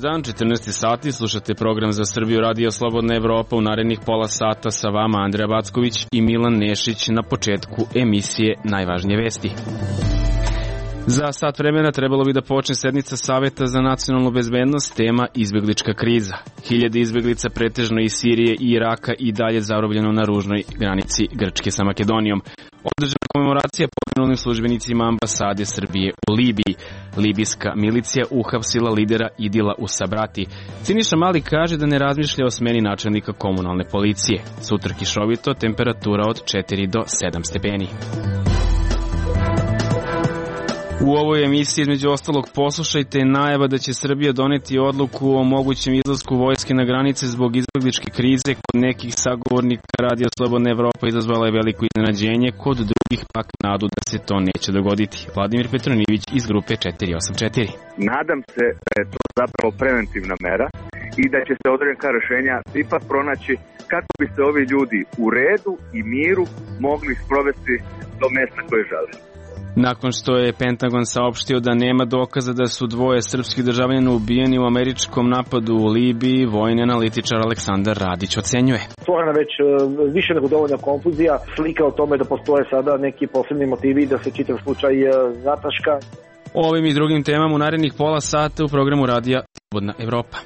dan, 14 sati, slušate program za Srbiju Radio Slobodna Evropa. U narednih pola sata sa vama Andreja Backović i Milan Nešić. Na početku emisije najvažnije vesti. Za sat vremena trebalo bi da počne sednica Saveta za nacionalnu bezbednost, tema izbeglička kriza. Hiljade izbeglica pretežno iz Sirije i Iraka i dalje zarobljeno na ružnoj granici Grčke sa Makedonijom. Održana komemoracija poginulim službenicima ambasade Srbije u Libiji. Libijska milicija uhapsila lidera Idila u Sabrati. Siniša Mali kaže da ne razmišlja o smeni načelnika komunalne policije. Sutra kišovito, temperatura od 4 do 7 stepeni. U ovoj emisiji između ostalog poslušajte najava da će Srbija doneti odluku o mogućem izlasku vojske na granice zbog izbegličke krize. Kod nekih sagovornika Radija Slobodna Evropa izazvala je veliko iznenađenje, kod drugih pak nadu da se to neće dogoditi. Vladimir Petronijević iz grupe 484. Nadam se da je to zapravo preventivna mera i da će se određena rešenja ipak pronaći kako bi se ovi ljudi u redu i miru mogli sprovesti do mesta koje žele. Nakon što je Pentagon saopštio da nema dokaza da su dvoje srpskih državljana ubijeni u američkom napadu u Libiji, vojni analitičar Aleksandar Radić ocenjuje. Stvorena već više nego dovoljna konfuzija, slika o tome da postoje sada neki posebni motivi da se čitav slučaj zataška. O ovim i drugim temama u narednih pola sata u programu Radija Slobodna Evropa.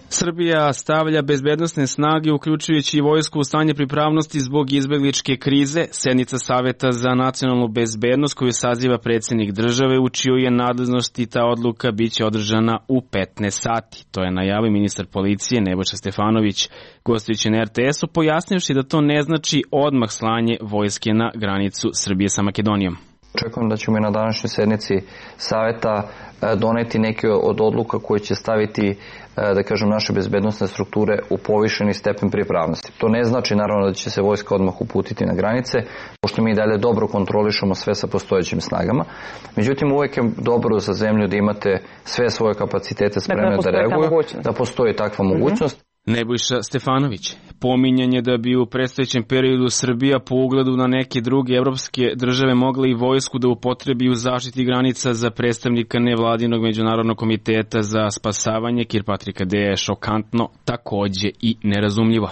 Srbija stavlja bezbednosne snage, uključujući i vojsku, u stanje pripravnosti zbog izbegličke krize. Sednica Saveta za nacionalnu bezbednost koju saziva predsjednik države, u čijoj je nadležnosti ta odluka biće održana u 15 sati. To je najavio ministar policije Nebojša Stefanović, gostujući na RTS-u, pojasnivši da to ne znači odmah slanje vojske na granicu Srbije sa Makedonijom. Očekujem da ćemo i na današnjoj sednici Saveta doneti neke od odluka koje će staviti, da kažem, naše bezbednosne strukture u povišeni stepen pripravnosti. To ne znači naravno da će se vojska odmah uputiti na granice, pošto mi dalje dobro kontrolišemo sve sa postojećim snagama. Međutim, uvijek je dobro za zemlju da imate sve svoje kapacitete spremne da reaguju, da postoji takva mogućnost. Nebojša Stefanović pominjanje da bi u predstojećem periodu Srbija po ugledu na neke druge evropske države mogla i vojsku da upotrebi u zaštiti granica za predstavnika nevladinog međunarodnog komiteta za spasavanje Kirpatrika Deja je šokantno, takođe i nerazumljivo.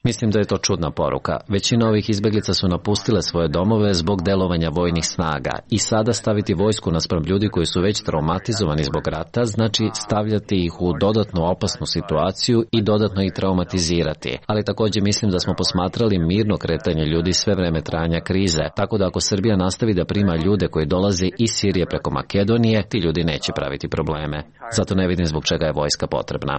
Mislim da je to čudna poruka. Većina ovih izbeglica su napustile svoje domove zbog delovanja vojnih snaga i sada staviti vojsku naspram ljudi koji su već traumatizovani zbog rata znači stavljati ih u dodatno opasnu situaciju i dodatno ih traumatizirati. Ali također mislim da smo posmatrali mirno kretanje ljudi sve vreme trajanja krize, tako da ako Srbija nastavi da prima ljude koji dolaze iz Sirije preko Makedonije, ti ljudi neće praviti probleme. Zato ne vidim zbog čega je vojska potrebna.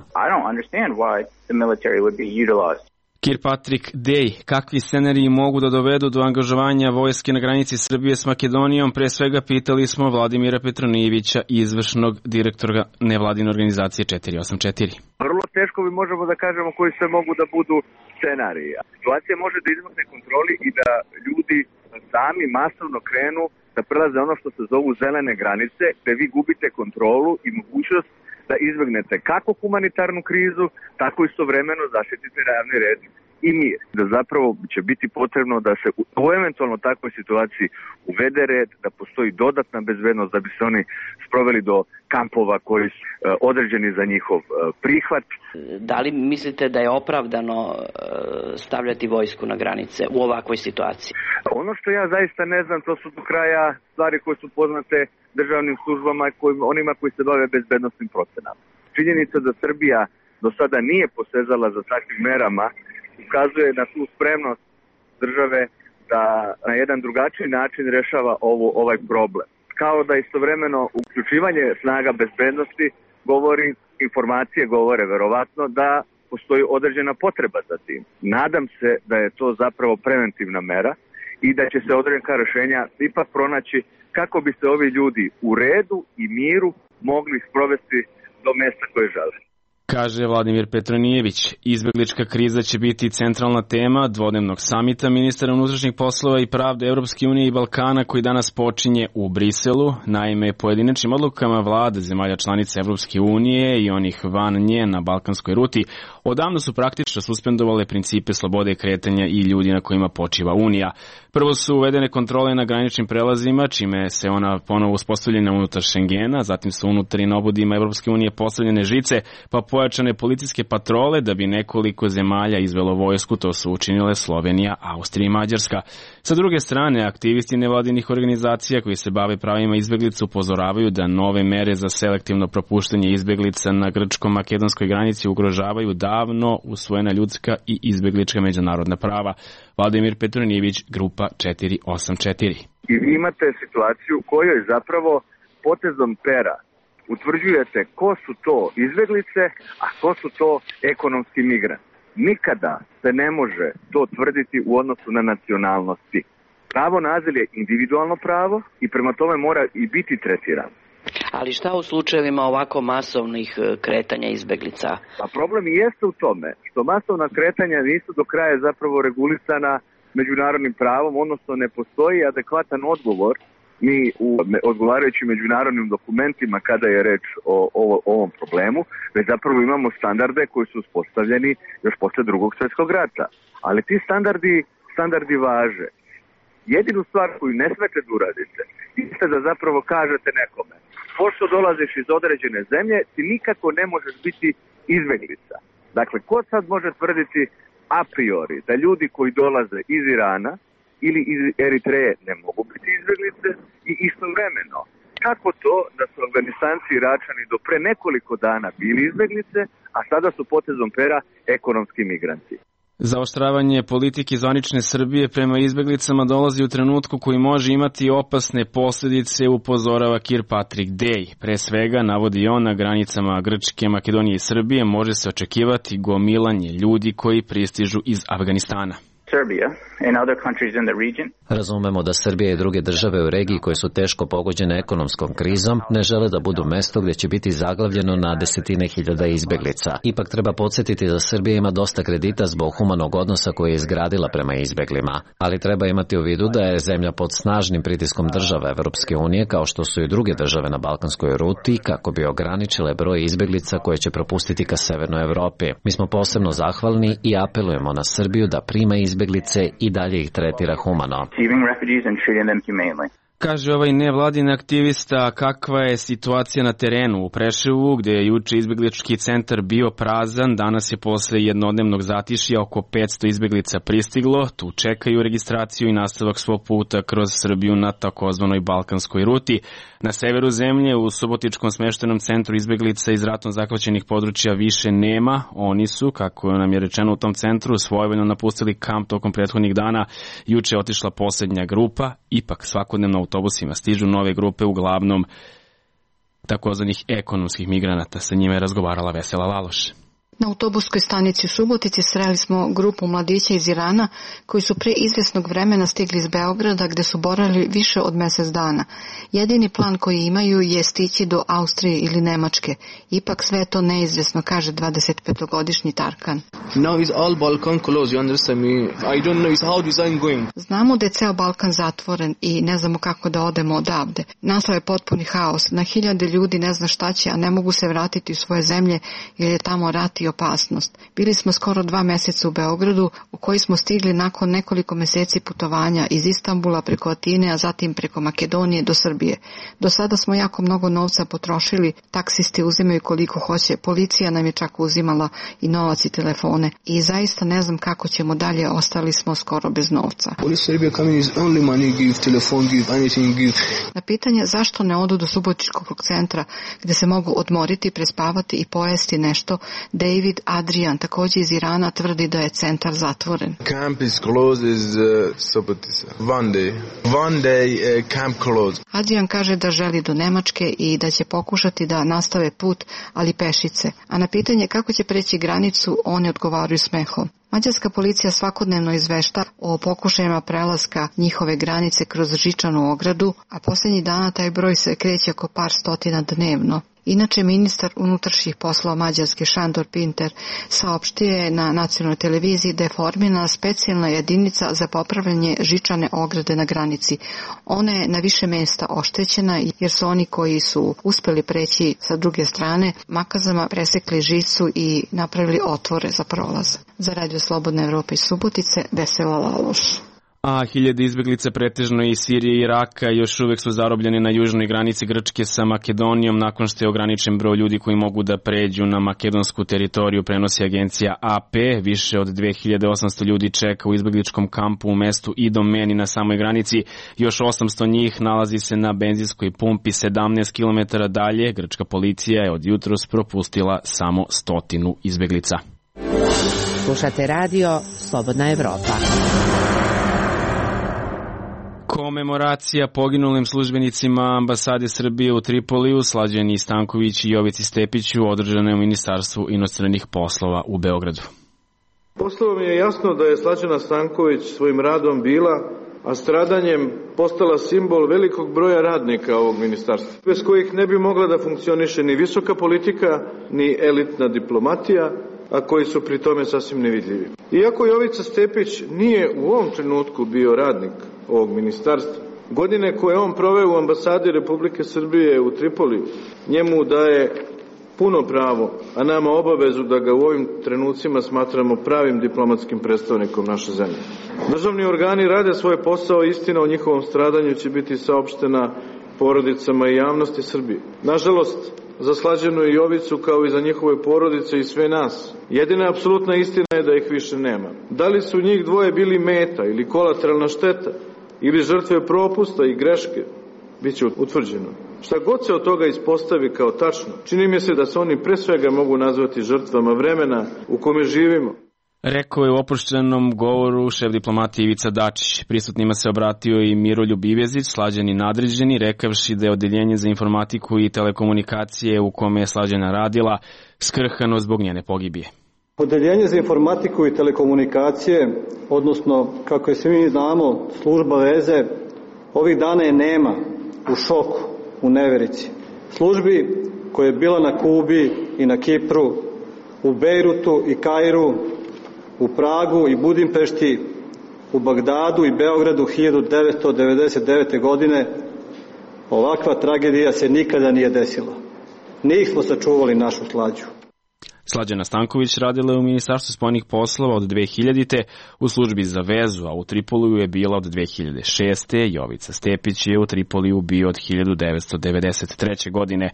Kirpatrik Dej, kakvi scenariji mogu da dovedu do angažovanja vojske na granici Srbije s Makedonijom? Pre svega pitali smo Vladimira Petronijevića, izvršnog direktora nevladine organizacije 484. Vrlo teško bi možemo da kažemo koji sve mogu da budu scenariji. Situacija može da izmakne kontroli i da ljudi sami masovno krenu da prelaze ono što se zovu zelene granice, gde vi gubite kontrolu i mogućnost da izbegnete kako humanitarnu krizu, tako istovremeno zaštitite javni red i mir. Da zapravo će biti potrebno da se u eventualno takvoj situaciji uvede red, da postoji dodatna bezbednost, da bi se oni sproveli do kampova koji su određeni za njihov prihvat. Da li mislite da je opravdano stavljati vojsku na granice u ovakvoj situaciji? Ono što ja zaista ne znam, to su do kraja stvari koje su poznate državnim službama, onima koji se bave bezbednostnim procenama. Činjenica da Srbija do sada nije posezala za takvim merama ukazuje na tu spremnost države da na jedan drugačiji način rešava ovaj problem. Kao da istovremeno uključivanje snaga bezbednosti govori, informacije govore verovatno da postoji određena potreba za tim. Nadam se da je to zapravo preventivna mera i da će se određena rešenja ipak pronaći kako bi se ovi ljudi u redu i miru mogli sprovesti do mesta koje žele. Kaže Vladimir Petronijević. Izbeglička kriza će biti centralna tema dvodnevnog samita ministara unutrašnjih poslova i pravde Evropske unije i Balkana koji danas počinje u Briselu. Naime, pojedinačnim odlukama vlade zemalja članica Evropske unije i onih van nje na balkanskoj ruti odavno su praktično suspendovale principe slobode kretanja i ljudi na kojima počiva Unija. Prvo su uvedene kontrole na graničnim prelazima, čime se ona ponovo uspostavljena unutar Šengena, zatim su unutar na obodima Evropske unije postavljene žice, pa pojačane policijske patrole da bi nekoliko zemalja izvelo vojsku, to su učinile Slovenija, Austrija i Mađarska. Sa druge strane, aktivisti nevladinih organizacija koji se bave pravima izbeglica upozoravaju da nove mere za selektivno propuštanje izbeglica na grčko-makedonskoj granici ugrožavaju davno usvojena ljudska i izbeglička međunarodna prava. Vladimir Petronijević, Grupa 484. I vi imate situaciju u kojoj zapravo potezom pera utvrđujete ko su to izbeglice, a ko su to ekonomski migranti. Nikada se ne može to tvrditi u odnosu na nacionalnosti. Pravo na azil je individualno pravo i prema tome mora i biti tretirano. Ali šta u slučajevima ovako masovnih kretanja izbeglica? A problem i jeste u tome što masovna kretanja nisu do kraja zapravo regulisana međunarodnim pravom, odnosno ne postoji adekvatan odgovor ni u odgovarajućim međunarodnim dokumentima kada je reč o ovom problemu, već zapravo imamo standarde koji su uspostavljeni još posle Drugog svjetskog rata. Ali ti standardi važe. Jedinu stvar koju ne smete da uradite jeste da zapravo kažete nekome pošto dolaziš iz određene zemlje, ti nikako ne možeš biti izbeglica. Dakle, ko sad može tvrditi a priori da ljudi koji dolaze iz Irana ili iz Eritreje ne mogu biti izbeglice i istovremeno kako to da su Afganistanci i Iračani do pre nekoliko dana bili izbeglice, a sada su potezom pera ekonomski migranti. Zaoštravanje politike zvanične Srbije prema izbeglicama dolazi u trenutku koji može imati opasne posljedice, upozorava Kirkpatrick Day. Pre svega, navodi on, na granicama Grčke, Makedonije i Srbije može se očekivati gomilanje ljudi koji pristižu iz Afganistana. Razumemo da Srbija i druge države u regiji koje su teško pogođene ekonomskom krizom ne žele da budu mesto gdje će biti zaglavljeno na desetine hiljada izbeglica. Ipak treba podsjetiti da Srbija ima dosta kredita zbog humanog odnosa koje je izgradila prema izbeglima, ali treba imati u vidu da je zemlja pod snažnim pritiskom država Evropske unije kao što su i druge države na balkanskoj ruti kako bi ograničile broj izbeglica koje će propustiti ka severnoj Evropi. Mi smo posebno zahvalni i apelujemo na Srbiju da prima izbeglice i dalje ih tretira humano. Kaže ovaj nevladin aktivista, kakva je situacija na terenu u Preševu, gde je juče izbeglički centar bio prazan, danas je posle jednodnevnog zatišja oko 500 izbeglica pristiglo, tu čekaju registraciju i nastavak svog puta kroz Srbiju na takozvanoj balkanskoj ruti. Na severu zemlje, u Subotičkom smeštenom centru izbeglica iz ratom zahvaćenih područja više nema. Oni su, kako nam je rečeno u tom centru, svojevoljno napustili kamp tokom prethodnih dana. Juče je otišla posljednja grupa, ipak svakodnevno autobusima stižu nove grupe, uglavnom takozvanih ekonomskih migranata. Sa njima je razgovarala Vesela Laloš. Na autobuskoj stanici u Subotici sreli smo grupu mladića iz Irana koji su pre izvjesnog vremena stigli iz Beograda gde su boravili više od mjesec dana. Jedini plan koji imaju je stići do Austrije ili Nemačke. Ipak sve je to neizvjesno, kaže 25-godišnji Tarkan. Znamo da je ceo Balkan zatvoren i ne znamo kako da odemo odavde. Nastao je potpuni haos. Na hiljade ljudi ne zna šta će, a ne mogu se vratiti u svoje zemlje jer je tamo rat i opasnost. Bili smo skoro 2 mjeseca u Beogradu, u koji smo stigli nakon nekoliko mjeseci putovanja iz Istanbula preko Atine, a zatim preko Makedonije do Srbije. Do sada smo jako mnogo novca potrošili, taksisti uzimaju koliko hoće, policija nam je čak uzimala i novac i telefone. I zaista ne znam kako ćemo dalje, ostali smo skoro bez novca. Na pitanje zašto ne odu do Subotičkog centra gdje se mogu odmoriti, prespavati i pojesti nešto, David Adrian, također iz Irana, tvrdi da je centar zatvoren. Camp is closed is Subotica. One day camp closed. Adrian kaže da želi do Nemačke i da će pokušati da nastave put, ali pešice. A na pitanje kako će preći granicu, oni odgovaraju smehom. Mađarska policija svakodnevno izvešta o pokušajima prelaska njihove granice kroz žičanu ogradu, a posljednjih dana taj broj se kreće oko par stotina dnevno. Inače, ministar unutrašnjih poslova Mađarske Šandor Pinter saopštio je na nacionalnoj televiziji da je formirana specijalna jedinica za popravljanje žičane ograde na granici. Ona je na više mesta oštećena jer su oni koji su uspeli preći sa druge strane makazama presekli žicu i napravili otvore za prolaz. Za Radio Slobodna Evropa iz Subotice, Vesela Laloš. A hiljade izbeglica pretežno iz Sirije i Iraka još uvek su zarobljeni na južnoj granici Grčke sa Makedonijom nakon što je ograničen broj ljudi koji mogu da pređu na makedonsku teritoriju, prenosi agencija AP. Više od 2800 ljudi čeka u izbegličkom kampu u mestu Idomeni na samoj granici. Još 800 njih nalazi se na benzinskoj pumpi 17 km dalje. Grčka policija je od jutros propustila samo 100 izbeglica. Slušate radio Slobodna Evropa. Komemoracija poginulim službenicima ambasade Srbije u Tripoliju, Slađani Stanković i Jovici Stepiću, održana je u Ministarstvu inostranih poslova u Beogradu. Postalo mi je jasno da je Slađana Stanković svojim radom bila, a stradanjem postala simbol velikog broja radnika ovog ministarstva, bez kojih ne bi mogla da funkcioniše ni visoka politika, ni elitna diplomatija, a koji su pri tome sasvim nevidljivi. Iako Jovica Stepić nije u ovom trenutku bio radnik ovog ministarstva, godine koje on proveo u ambasadi Republike Srbije u Tripoliju njemu daje puno pravo, a nama obavezu da ga u ovim trenucima smatramo pravim diplomatskim predstavnikom naše zemlje. Državni organi rade svoj posao, istina o njihovom stradanju će biti saopštena porodicama i javnosti Srbije. Nažalost, za Slađanu i Jovicu kao i za njihove porodice i sve nas, jedina apsolutna istina je da ih više nema. Da li su njih dvoje bili meta ili kolateralna šteta ili žrtve propusta i greške, bit će utvrđeno. Šta god se od toga ispostavi kao tačno, čini mi se da se oni pre svega mogu nazvati žrtvama vremena u kome živimo. Rekao je u oproštenom govoru šef diplomatije Ivica Dačić. Prisutnima se obratio i Miroljub Ivezić, Slađani nadređeni, rekavši da je odeljenje za informatiku i telekomunikacije u kome je Slađana radila skrhano zbog njene pogibije. Odeljenje za informatiku i telekomunikacije, odnosno, kako je svi mi znamo, služba veze, ovih dana je nema, u šoku, u neverici. Službi koja je bila na Kubi i na Kipru, u Bejrutu i Kairu, u Pragu i Budimpešti, u Bagdadu i Beogradu 1999. godine, ovakva tragedija se nikada nije desila. Nismo sačuvali našu Slađu. Slađana Stanković radila je u Ministarstvu spoljnih poslova od 2000. u službi za vezu, a u Tripoliju je bila od 2006. Jovica Stepić je u Tripoliju bio od 1993. godine.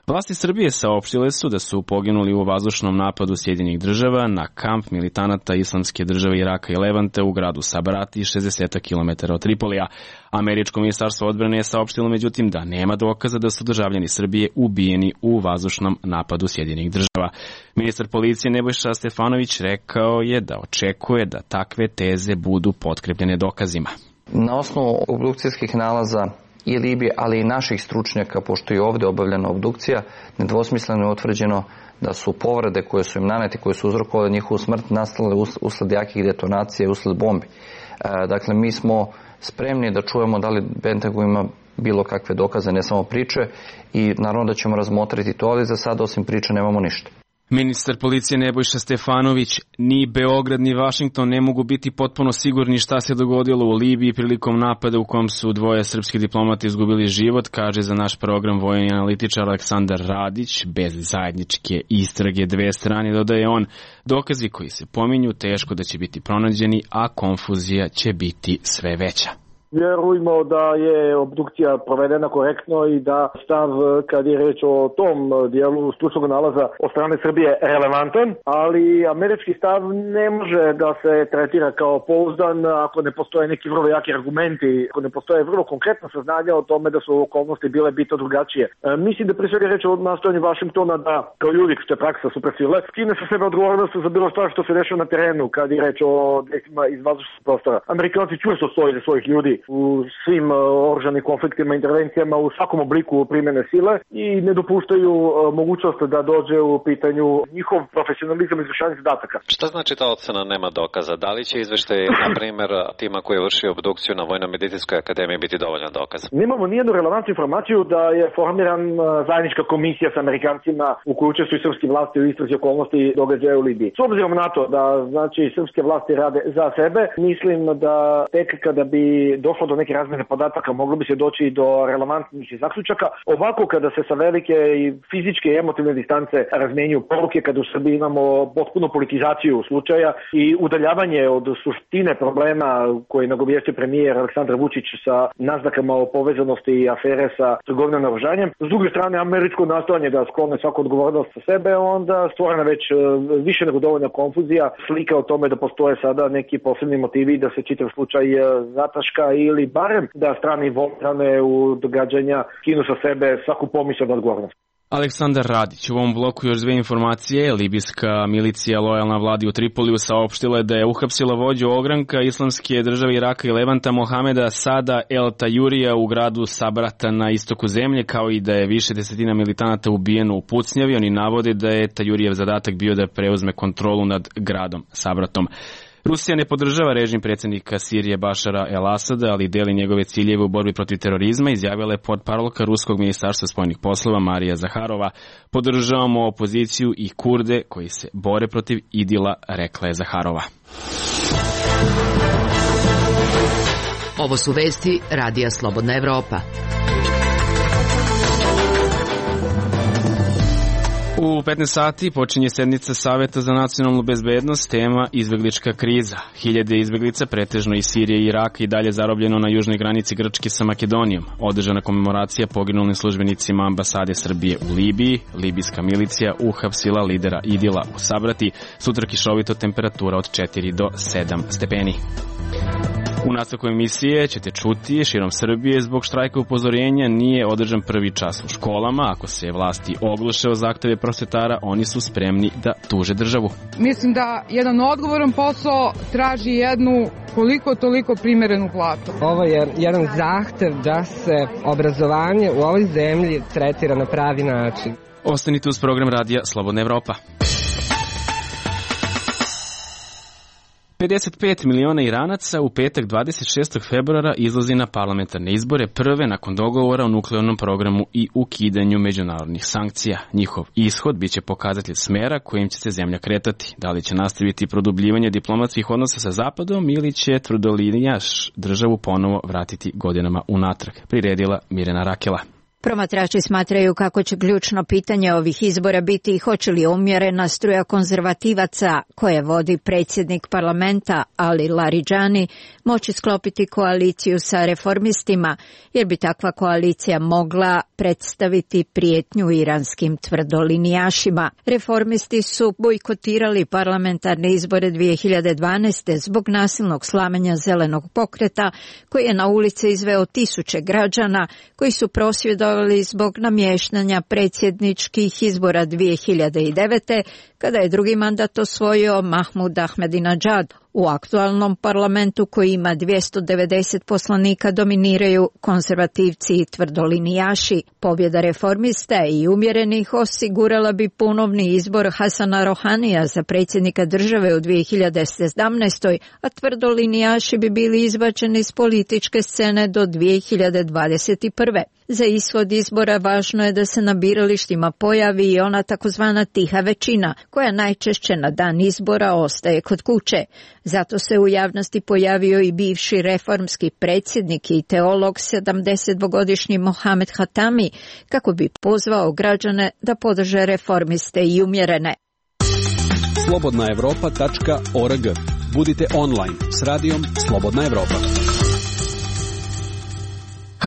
Vlasti Srbije saopštile su da su poginuli u vazdušnom napadu Sjedinjenih država na kamp militanata Islamske države Iraka i Levante u gradu Sabrati, 60 km od Tripolija. Američko ministarstvo odbrane je saopštilo međutim da nema dokaza da su državljani Srbije ubijeni u vazdušnom napadu Sjedinjenih država. Ministar policije Nebojša Stefanović rekao je da očekuje da takve teze budu potkrepljene dokazima. Na osnovu obdukcijskih nalaza i Libije, ali i naših stručnjaka, pošto je ovdje obavljena obdukcija, nedvosmisleno je utvrđeno da su povrede koje su im nanete, koje su uzrokovale njihovu smrt, nastale usled jakih detonacija i usled bombi. Dakle, mi smo spremni da čujemo da li Pentagon ima bilo kakve dokaze, ne samo priče, i naravno da ćemo razmotriti to, ali za sad osim priče nemamo ništa. Ministar policije Nebojša Stefanović, ni Beograd ni Vašington ne mogu biti potpuno sigurni šta se dogodilo u Libiji prilikom napada u kom su dvoje srpski diplomati izgubili život, kaže za naš program vojni analitičar Aleksandar Radić. Bez zajedničke istrage dve strane, dodaje on, dokazi koji se pominju teško da će biti pronađeni, a konfuzija će biti sve veća. Vjerujemo da je obdukcija provedena korektno i da stav kad je reč o tom dijelu stručnog nalaza od strane Srbije relevantan, ali američki stav ne može da se tretira kao pouzdan ako ne postoje neki vrlo jaki argumenti, ako ne postoje vrlo konkretna saznanja o tome da su okolnosti bile bitno drugačije. Mislim da pre svega reč o nastojanju Vašingtona da, kao ljudi, što je praksa supersile, skine sa sebe odgovornost za bilo što se dešava na terenu kad je reč o desima iz vazdušnog prostora. Amerikanci čvrsto stoje za svojih ljudi u svim oružanim konfliktima, intervencijama, u svakom obliku primjene sile i ne dopuštaju mogućnost da dođe u pitanju njihov profesionalizam izvršavanja zadataka. Šta znači ta ocena nema dokaza? Da li će izveštaj, na primjer, tima koji je vršio obdukciju na Vojno-medicinskoj akademiji biti dovoljan dokaz? Nemamo nijednu relevantnu informaciju da je formiran zajednička komisija sa Amerikancima u kojoj učestvuju srpske vlasti u istrazi okolnosti događaja u Libiji. S obzirom na to da srpske vlasti rade za sebe, mislim da tek kada bi došlo do neke razmjene podataka moglo bi se doći do relevantnih zaključaka. Ovako kada se sa velike i fizičke i emotivne distance razmenjuju poruke, kada u Srbiji imamo potpunu politizaciju slučaja i udaljavanje od suštine problema koji nagovijestio premijer Aleksandar Vučić sa naznakama o povezanosti i afere sa trgovinom naoružanjem. S druge strane, američko nastojanje da sklone svaku odgovornost sa sebe, onda stvorena već više nego dovoljna konfuzija, slika o tome da postoje sada neki posebni motivi da se čitav slučaj zataška ili barem da strane involvirane u događanja skinu sa sebe svaku pomisao od odgovornosti. Aleksandar Radić. U ovom bloku još dve informacije. Libijska milicija lojalna vladi u Tripoliju saopštila je da je uhapsila vođu ogranka Islamske države Iraka i Levanta Mohameda Sada El Tajurija u gradu Sabrata na istoku zemlje, kao i da je više desetina militanata ubijeno u pucnjavi. Oni navode da je Tajurijev zadatak bio da preuzme kontrolu nad gradom Sabratom. Rusija ne podržava režim predsjednika Sirije Bašara el-Asada, ali deli njegove ciljeve u borbi protiv terorizma, izjavila je portparolka Ruskog ministarstva spoljnih poslova Marija Zaharova. Podržavamo opoziciju i Kurde koji se bore protiv Idila, rekla je Zaharova. Ovo su vesti Radija Slobodna Evropa. U 15 sati počinje sednica Saveta za nacionalnu bezbednost, tema izbeglička kriza. Hiljade izbeglica, pretežno iz Sirije i Iraka, i dalje zarobljeno na južnoj granici Grčke sa Makedonijom. Održana komemoracija poginulim službenicima ambasade Srbije u Libiji. Libijska milicija uhapsila lidera Idila u Sabrati. Sutra kišovito, temperatura od 4 do 7 stepeni. U nastavku emisije ćete čuti širom Srbije zbog štrajka upozorenja nije održan prvi čas u školama. Ako se vlasti ogluše o zahteve prosvetara, oni su spremni da tuže državu. Mislim da jedan odgovoran posao traži jednu koliko toliko primerenu platu. Ovo je jedan zahtev da se obrazovanje u ovoj zemlji tretira na pravi način. Ostanite uz program Radija Slobodna Evropa. 55 miliona Iranaca u petak 26. februara izlazi na parlamentarne izbore, prve nakon dogovora o nuklearnom programu i ukidanju međunarodnih sankcija. Njihov ishod biće pokazatelj smera kojim će se zemlja kretati. Da li će nastaviti produbljivanje diplomatskih odnosa sa Zapadom ili će tvrdolinjaš državu ponovo vratiti godinama unatrag, priredila Mirjana Rakela. Promatrači smatraju kako će ključno pitanje ovih izbora biti hoće li umjerena struja konzervativaca koje vodi predsjednik parlamenta Ali Laridžani moći sklopiti koaliciju sa reformistima, jer bi takva koalicija mogla predstaviti prijetnju iranskim tvrdolinijašima. Reformisti su bojkotirali parlamentarne izbore 2012. zbog nasilnog slamenja zelenog pokreta koji je na ulice izveo tisuće građana koji su prosvjedovali zbog namještanja predsjedničkih izbora 2009. kada je drugi mandat osvojio Mahmud Ahmadinejad. U aktualnom parlamentu koji ima 290 poslanika dominiraju konzervativci i tvrdolinijaši. Pobjeda reformista i umjerenih osigurala bi ponovni izbor Hasana Rohanija za predsjednika države u 2017. a tvrdolinijaši bi bili izbačeni iz političke scene do 2021. Za ishod izbora važno je da se na biralištima pojavi i ona takozvana tiha većina, koja najčešće na dan izbora ostaje kod kuće. Zato se u javnosti pojavio i bivši reformski predsjednik i teolog 72-godišnji Mohamed Hatami, kako bi pozvao građane da podrže reformiste i umjerene. Slobodnaevropa.org. Budite online s radijom Slobodna Evropa.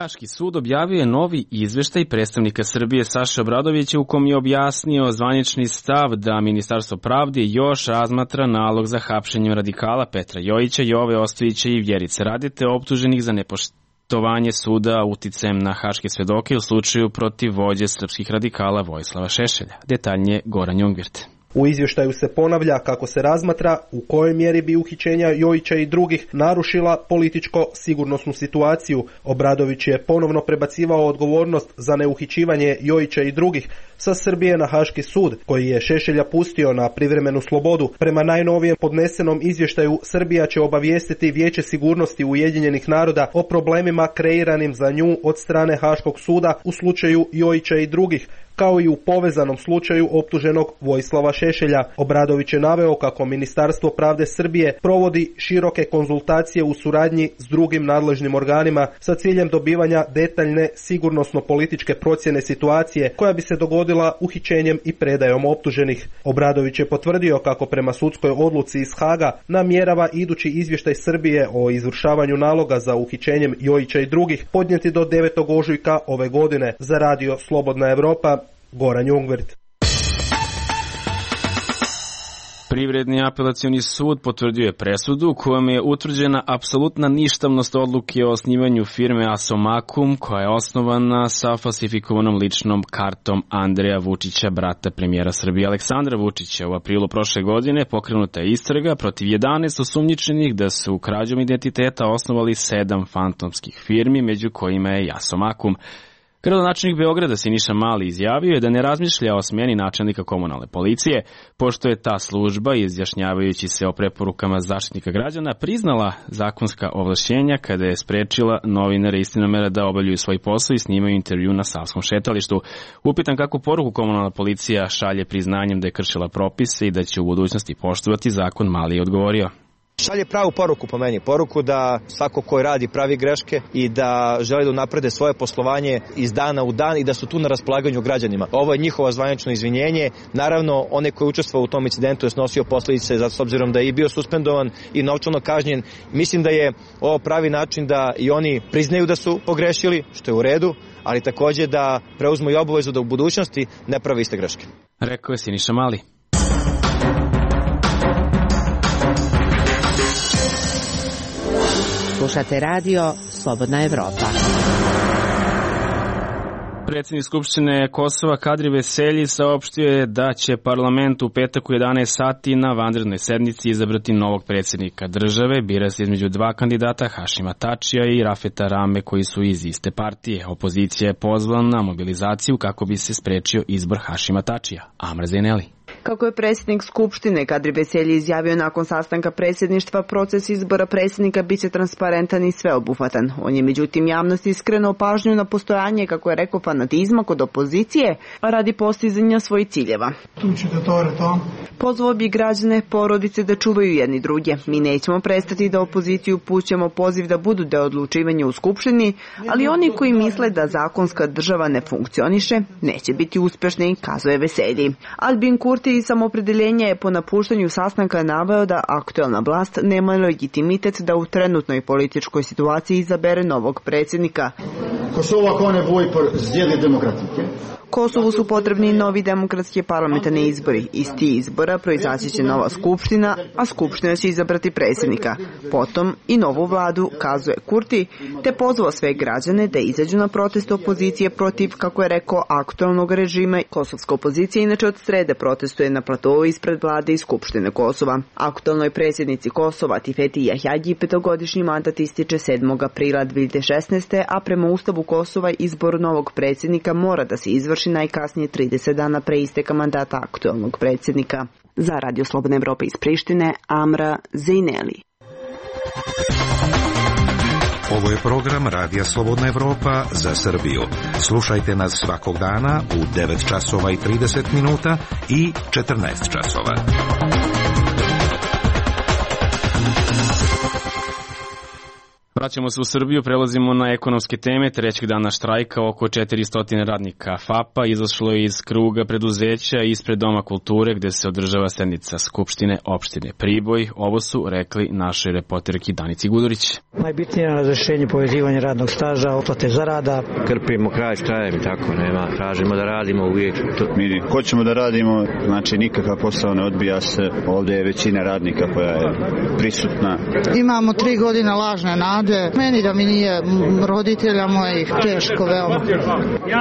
Haški sud objavio je novi izveštaj predstavnika Srbije Saše Obradovića u kom je objasnio zvanični stav da Ministarstvo pravde još razmatra nalog za hapšenjem radikala Petra Jojića, Jove Ostojića i Vjerice Radete, optuženih za nepoštovanje suda uticajem na haške svedoke u slučaju protiv vođe srpskih radikala Vojislava Šešelja. Detaljnije Goran Jungvirt. U izvještaju se ponavlja kako se razmatra u kojoj mjeri bi uhićenja Jojića i drugih narušila političko-sigurnosnu situaciju. Obradović je ponovno prebacivao odgovornost za neuhićivanje Jojića i drugih sa Srbije na Haški sud, koji je Šešelja pustio na privremenu slobodu. Prema najnovijem podnesenom izvještaju, Srbija će obavijestiti Vijeće sigurnosti Ujedinjenih naroda o problemima kreiranim za nju od strane Haškog suda u slučaju Jojića i drugih, kao i u povezanom slučaju optuženog Vojislava Šešelja. Obradović je naveo kako Ministarstvo pravde Srbije provodi široke konzultacije u suradnji s drugim nadležnim organima sa ciljem dobivanja detaljne sigurnosno-političke procjene situacije koja bi se dogodila uhićenjem i predajom optuženih. Obradović je potvrdio kako prema sudskoj odluci iz Haga namjerava idući izvještaj Srbije o izvršavanju naloga za uhićenjem Jojića i drugih podnijeti do 9. ožujka ove godine. Za Radio Slobodna Evropa, Goran Jungvert. Privredni apelacioni sud potvrdio je presudu kojom je utvrđena apsolutna ništavnost odluke o osnivanju firme Asomakum, koja je osnovana sa falsifikovanom ličnom kartom Andreja Vučića, brata premijera Srbije Aleksandra Vučića. U aprilu prošle godine pokrenuta je istraga protiv 11 osumnjičenih da su krađom identiteta osnovali 7 fantomskih firmi, među kojima je i Asomakum. Gradonačelnik Beograda Siniša Mali izjavio je da ne razmišlja o smjeni načelnika komunalne policije, pošto je ta služba, izjašnjavajući se o preporukama Zaštitnika građana, priznala zakonska ovlašćenja kada je sprečila novinare Istinomera da obavljaju svoj posao i snimaju intervju na Savskom šetalištu. Upitan kako poruku komunalna policija šalje priznanjem da je kršila propise i da će u budućnosti poštovati zakon, Mali je odgovorio. Šalje pravu poruku po meni, poruku da svako ko radi pravi greške i da želi da unaprede svoje poslovanje iz dana u dan i da su tu na raspolaganju građanima. Ovo je njihovo zvanično izvinjenje. Naravno, onaj koji je učestvovao u tom incidentu je snosio posljedice, zato s obzirom da je i bio suspendovan i novčano kažnjen. Mislim da je ovo pravi način da i oni priznaju da su pogrešili, što je u redu, ali takođe da preuzmu i obavezu da u budućnosti ne prave iste greške. Rekao je Siniša Mali. Slušate radio Slobodna Evropa. Predsjednik Skupštine Kosova Kadri Veselji saopštio je da će parlament u petak u 11 sati na vanrednoj sednici izabrati novog predsjednika države. Bira se između dva kandidata, Hašima Tačija i Rafeta Rame, koji su iz iste partije. Opozicija je pozvala na mobilizaciju kako bi se sprečio izbor Hašima Tačija. Amra Zeneli. Kako je predsjednik Skupštine Kadri Veselji izjavio nakon sastanka predsjedništva, proces izbora predsjednika biće transparentan i sveobuhvatan. On je međutim javnosti skrenuo pažnju na postojanje, kako je rekao, fanatizma kod opozicije radi postizanja svojih ciljeva. Pozvao bi građane, porodice da čuvaju jedni druge. Mi nećemo prestati da opoziciju upućujemo poziv da budu deo odlučivanja u Skupštini, ali oni koji misle da zakonska država ne funkcioniše, neće biti uspješni, kazuje Veselji. Albin Kurti iz Samopredeljenja je po napuštanju sastanka naveo da aktuelna vlast nema legitimitet da u trenutnoj političkoj situaciji izabere novog predsjednika. Kosovu su potrebni novi demokratski parlamentarni izbori. Iz tih izbora proizaći će nova skupština, a skupština će izabrati predsjednika. Potom i novu vladu, kazuje Kurti, te pozvao sve građane da izađu na protest opozicije protiv, kako je rekao, aktualnog režima. Kosovska opozicija inače od srede protestuje na platovu ispred vlade i skupštine Kosova. Aktualnoj predsjednici Kosova Tifeti Jahjagi 5-godišnji mandat ističe 7. aprila 2016. a prema Ustavu Kosova izbor novog predsjednika mora da se izvrši najkasnije 30 dana pre isteka mandata aktualnog predsjednika. Za Radio Slobodna Evropa iz Prištine, Amra Zejneli. Ovo je program Radija Slobodna Evropa za Srbiju. Slušajte nas svakog dana u 9 časova i 30 minuta i 14 časova. Vraćamo se u Srbiju, prelazimo na ekonomske teme. Trećeg dana štrajka oko 400 radnika FAP-a izašlo je iz kruga preduzeća ispred Doma kulture gde se održava sednica Skupštine opštine Priboj. Ovo su rekli našoj reporterki Danici Gudurić. Najbitnije je razrešenje povezivanja radnog staža, oplate zarada. Krpimo kraj štrajem i tako nema. Tražimo da radimo uvijek. Mi hoćemo da radimo, znači nikakav posao ne odbija se. Ovdje je većina radnika koja je prisutna. Imamo 3 godine lažne nade ljude. Meni da mi nije roditelja mojih, teško veoma.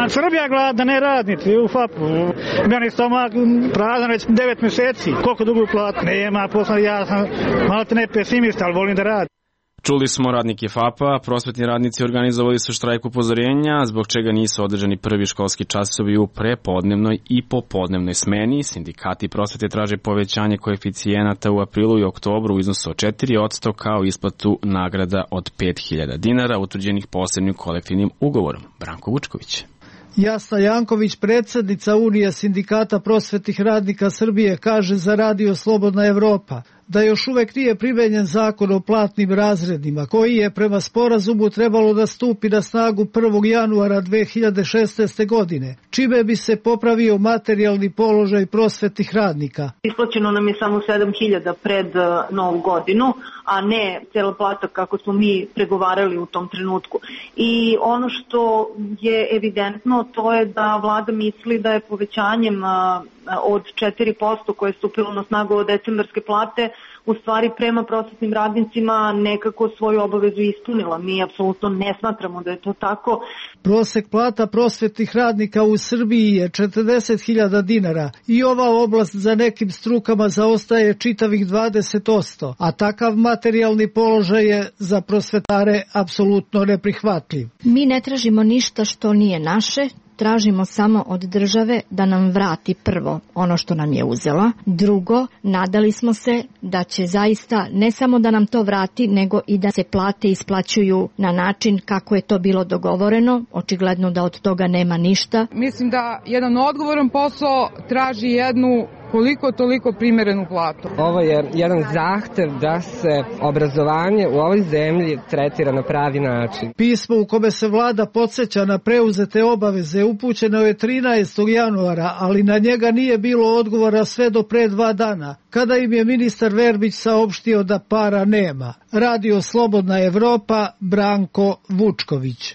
Srbija glada, ne radnici u FAP-u. Meni stomak prazan već 9 mjeseci. Koliko dugo platu? Nema posla, ja sam malo ne pesimista, ali volim da radim. Čuli smo radnike FAP-a, prosvetni radnici organizovali su štrajk upozorenja, zbog čega nisu održani prvi školski časovi u prepodnevnoj i popodnevnoj smeni. Sindikati prosvete traže povećanje koeficijenata u aprilu i oktobru u iznosu od 4% kao isplatu nagrada od 5.000 dinara utvrđenih posebnim kolektivnim ugovorom. Branko Vučković. Jasna Janković, predsjednica Unije sindikata prosvetnih radnika Srbije, kaže za Radio Slobodna Evropa da još uvek nije primenjen zakon o platnim razredima, koji je prema sporazumu trebalo da stupi na snagu 1. januara 2016. godine, čime bi se popravio materijalni položaj prosvetnih radnika. Isplaćeno nam je samo 7.000 pred Novu godinu, a ne cela plata kako smo mi pregovarali u tom trenutku. I ono što je evidentno, to je da vlada misli da je povećanjem od 4% koje je stupilo na snagu od decembarske plate u stvari prema prosvetnim radnicima nekako svoju obavezu ispunila. Mi apsolutno ne smatramo da je to tako. Prosek plata prosvetnih radnika u Srbiji je 40.000 dinara i ova oblast za nekim strukama zaostaje čitavih 20%, a takav materijalni položaj je za prosvetare apsolutno neprihvatljiv. Mi ne tražimo ništa što nije naše. Tražimo samo od države da nam vrati prvo ono što nam je uzela. Drugo, nadali smo se da će zaista ne samo da nam to vrati, nego i da se plate isplaćuju na način kako je to bilo dogovoreno. Očigledno da od toga nema ništa. Mislim da jedan odgovoran posao traži jednu koliko toliko primerenu platu. Ovo je jedan zahtev da se obrazovanje u ovoj zemlji tretira na pravi način. Pismo u kome se vlada podsjeća na preuzete obaveze upućeno je 13. januara, ali na njega nije bilo odgovora sve do pre 2 dana, kada im je ministar Verbić saopštio da para nema. Radio Slobodna Evropa, Branko Vučković.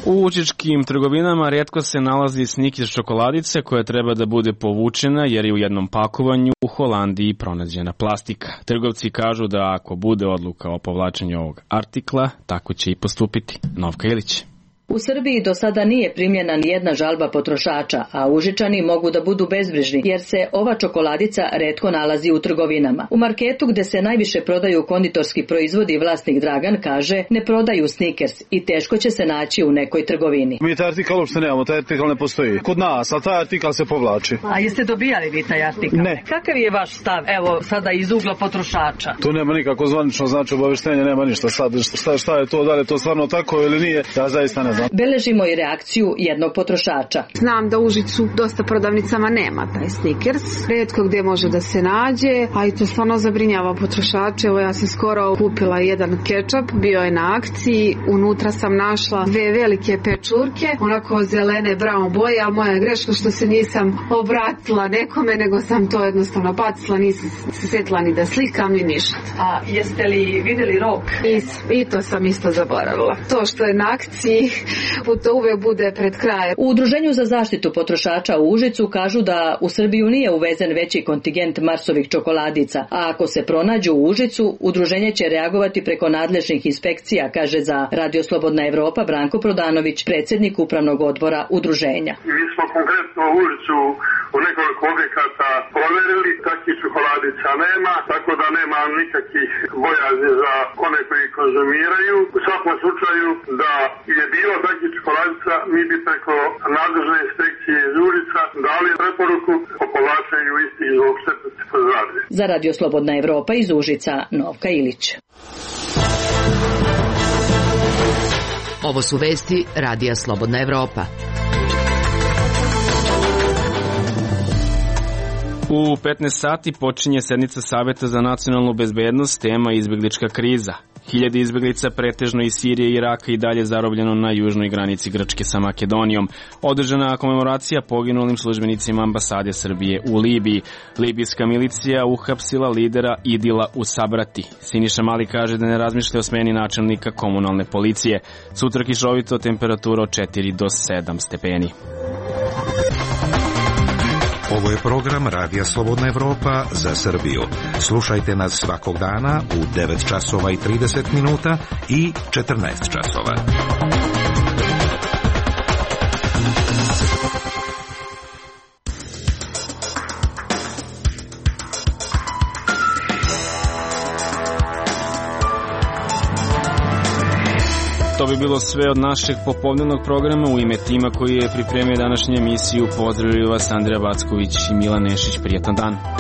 U učičkim trgovinama rijetko se nalazi Snickers čokoladice koja treba da bude povučena jer je u jednom pakovanju u Holandiji pronađena plastika. Trgovci kažu da ako bude odluka o povlačenju ovog artikla, tako će i postupiti. Novka Ilić. U Srbiji do sada nije primljena ni jedna žalba potrošača, a Užičani mogu da budu bezbrižni jer se ova čokoladica retko nalazi u trgovinama. U marketu gde se najviše prodaju konditorski proizvodi vlasnik Dragan kaže ne prodaju Snickers i teško će se naći u nekoj trgovini. Mi taj artikal uopšte nemamo, taj artikal ne postoji. Kod nas, ali taj artikal se povlači. A jeste dobijali vi taj artikal? Ne. Kakav je vaš stav, evo sada iz ugla potrošača? Tu nema nikako zvanično znači obaveštenja, nema ništa. Sad, šta je to, da li je to stvarno tako ili nije, ja zaista ne znam. Beležimo i reakciju jednog potrošača. Znam da u Užicu dosta prodavnicama nema taj Snickers. Rijetko gdje može da se nađe, a i to stvarno zabrinjava potrošače. Evo ja sam skoro kupila jedan kečap, bio je na akciji, unutra sam našla 2 velike pečurke, onako zelene brown boje, ali moja je greška što se nisam obratila nekome, nego sam to jednostavno bacila, nisam se sjetila ni da slikam ni ništa. A jeste li vidjeli rok? I to sam isto zaboravila. To što je na akciji, to uvek bude pred krajem. U Udruženju za zaštitu potrošača u Užicu kažu da u Srbiju nije uvezen veći kontingent Marsovih čokoladica, a ako se pronađu u Užicu, udruženje će reagovati preko nadležnih inspekcija, kaže za Radio Slobodna Evropa Branko Prodanović, predsjednik upravnog odbora udruženja. Mi smo konkretno u Užicu u nekoliko objekata proverili, takvih čokoladica nema, tako da nema nikakvih bojazni za one koji konzumiraju. U svakom slučaju da je bilo takvih čokoladica, mi bi preko nadležne inspekcije iz Užica dali preporuku o povlačenju istih zbog štetnosti po zdravlje. Za Radio Slobodna Evropa iz Užica, Novka Ilić. Ovo su vesti Radija Slobodna Evropa. U 15 sati počinje sednica Saveta za nacionalnu bezbednost, tema izbeglička kriza. 1000 izbeglica pretežno iz Sirije i Iraka i dalje zarobljeno na južnoj granici Grčke sa Makedonijom. Održana komemoracija poginulim službenicima ambasade Srbije u Libiji. Libijska milicija uhapsila lidera Idila u Sabrati. Siniša Mali kaže da ne razmišlja o smeni načelnika komunalne policije. Sutra kišovito, temperatura od 4 do 7 stepeni. Ovo je program Radija Slobodna Evropa za Srbiju. Slušajte nas svakog dana u 9 časova i 30 minuta i 14 časova. To bi bilo sve od našeg popodnevnog programa. U ime tima koji je pripremio današnju emisiju pozdravljaju vas Andrija Backović i Milan Nešić. Prijetan dan.